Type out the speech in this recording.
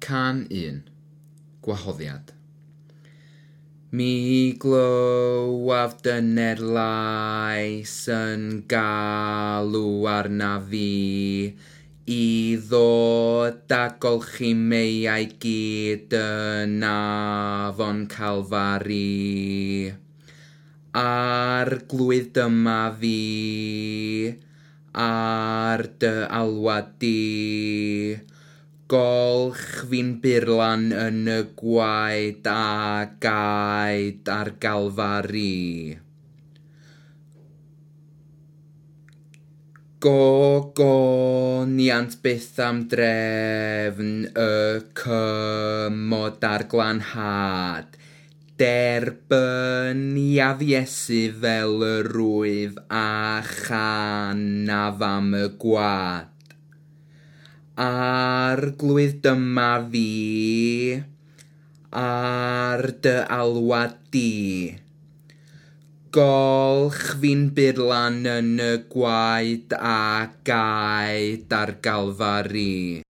Cân 1. Gwahoddiad. Mi glywaf dyner lais yn galw arnaf fi i ddod a golchi meiau gyd yn afon Calfari. Arglwydd, dyma fi, ar dy alwad di. Golch fi'n burlan yn y gwaed a gaed ar Galfari. Gogoniant byth am drefn y cymod a'r glanhad. Derbyniaf Iesu fel yr wyf a chanaf am y gwad. Arglwydd, dyma fi, ar dy alwad di. Golch fi'n burlan yn y gwaed a gaed ar Galfari.